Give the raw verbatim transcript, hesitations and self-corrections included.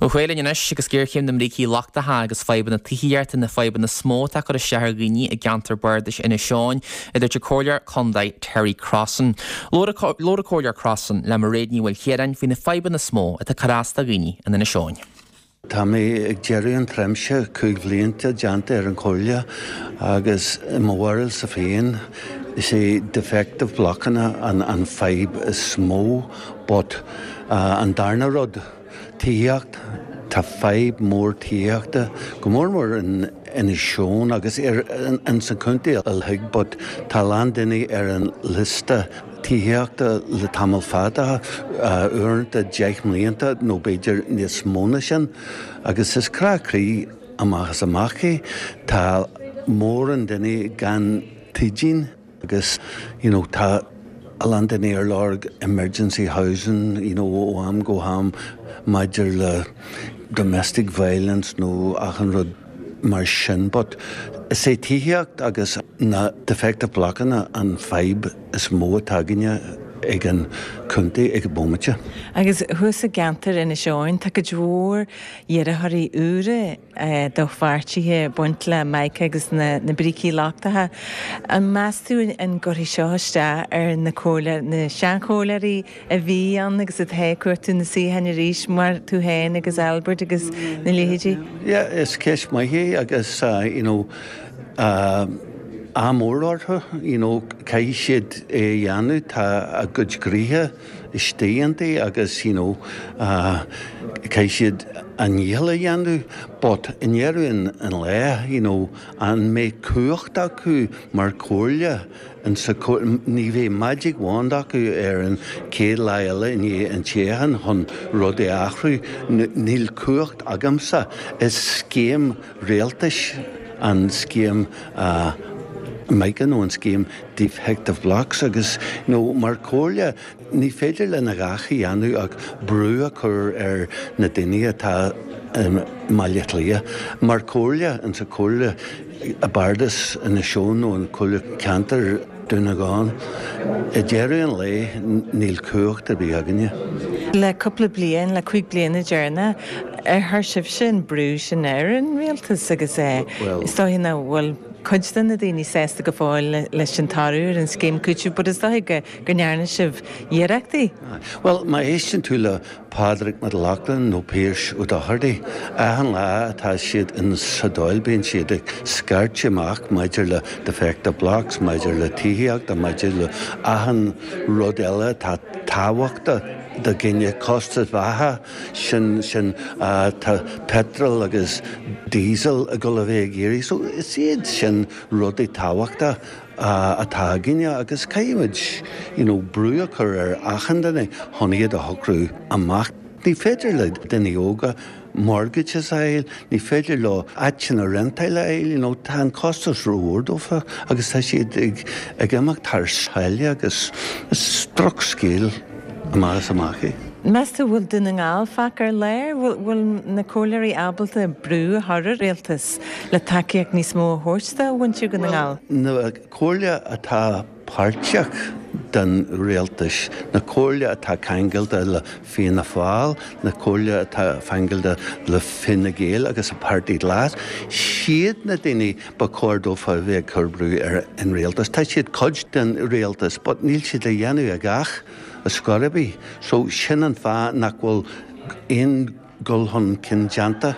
Ó chualann anois agus géarchéim na mbrící lochtacha agus fadhbanna tithíochta na fadhbanna is mó atá ag cur isteach ar dhaoine i gceantar bardais Inis Eoghain, a dúirt an Comhairleoir Contae Terry Crossan. Labhair an Comhairleoir Crossan le Mairéad Ní Mhaoilchiaráin faoi na fadhbanna is mó atá ag cur as do dhaoine in Inis Eoghain. Tá mé ag deireadh an tréimhse cúig bhlianta déanta ar an chomhairle agus i mo bharúilsa féin is é defective blockanna an, an fadhb is mó, but uh, an darna rud tithíocht tá fadhb mór tithíochta go mór mór in Inis Eoghain agus ar in san contae uilig, but tá lán daoine ar an liosta tithíochta le tamall fada uaireanta deich mblianta nó b'fhéidir níos mó ná sin, agus is crá croí amach is amach é tá mórán daoine gan tigín agus you know, tá a lán daoine ar lorg emergency housing you know, ó am go ham maidir le domestic violence nó achan rud mar sin, but is é tithíocht agus na defective blockanna an fadhb is mó atá againne ag an contae ag an bomaite. Agus thuas i gceantar Inis Eoghain tá cuid mhór iarrthóirí úra do pháirtithe baint le Mica agus na, na brící lochtacha. An meas tú an gcuirfidh seo isteach ar na comhairle na seanchomhairleoirí a bhí ann agus atá ag cuartú na suíocháin arís mar tú féin agus Albert agus na leithéidí? Yeah, is ceist maith é agus uh, you know, uh, ádh mór orthu you know, caithfidh siad é a dhéanamh tá a gcuid gnoithe istigh iontu agus you know, uh, caithfidh siad a ndícheall a dhéanamh, but i ndeireadh an, an lae you know, an mbeidh cumhacht acu mar chomhairle in sa ní bheidh magic wand acu ar an chéad lá eile i ndiaidh an toghcháin chun rud a athrú níl cumhacht agamsa is scéim rialtais an scéim uh, Mica nó an scéim defective blocks agus nó mar chomhairle ní féidir linn a dhath a dhéanamh ach brú a chur ar na daoine atá um, Baile Átha Cliath. Mar chomhairle an sa chomhairle a bardas Inis Eoghain nó an comhairle ceantar Dún na nGall. I deireadh an lae níl cumhacht ar bith againne. Le cúpla bliain le cúig bliana deireanacha ar chuir sibhse an brú sin ar an rialtas agus é is dóigh nach bhfuil cuid de na daoine sásta go fóill leis an toradh ar an scéim cúitimh, but is dóigh go go ndearna sibh iarrachtaí. Well má éisteann tú le Pádraig Mac Lochlainn nó Pearse Ó Dochartaigh, achan lá atá siad in sa Dáil bíonn siad ag scairt amach maidir le defective blocks, maidir le tithíocht, maidir le achan rud eile tá tábhachtach do dhaoine costas beatha sin sin uh, tá petrol agus diesel ag dul a bheith ag éirí, so is iad sin rudaí tábhachtacha uh, atá againne agus caithfimid you know, brú a chur ar achan duine chun iad a shocrú amach. Ní féidir le daoine óga mortgages a fháil, ní féidir leo áiteanna rentáil a fháil, you know, tá an costas rómhór dófa agus tá siad ag, ag imeacht thar sáile agus is drochscéal amach is amach é. Meas tú bhfuil Dún na nGall fágtha ar lár, bhfuil na comhairleoirí ábalta brú a chur ar rialtas le tacaíocht níos mó a thabhairt do mhuintir Dhún na nGall. Na comhairle atá páirteach den rialtas, na comhairle atá ceangailte le Fianna Fáil, na comhairle atá ceangailte le Fine Gael agus a Páirtí Glas, siad na daoine ba chóir dófa bheith ag cur brú ar an rialtas. Tá siad cuid den rialtas, but níl siad le dhéanamh a dhath ar scor ar bith. So sin an fáth nach bhfuil aon dul chun cinn déanta.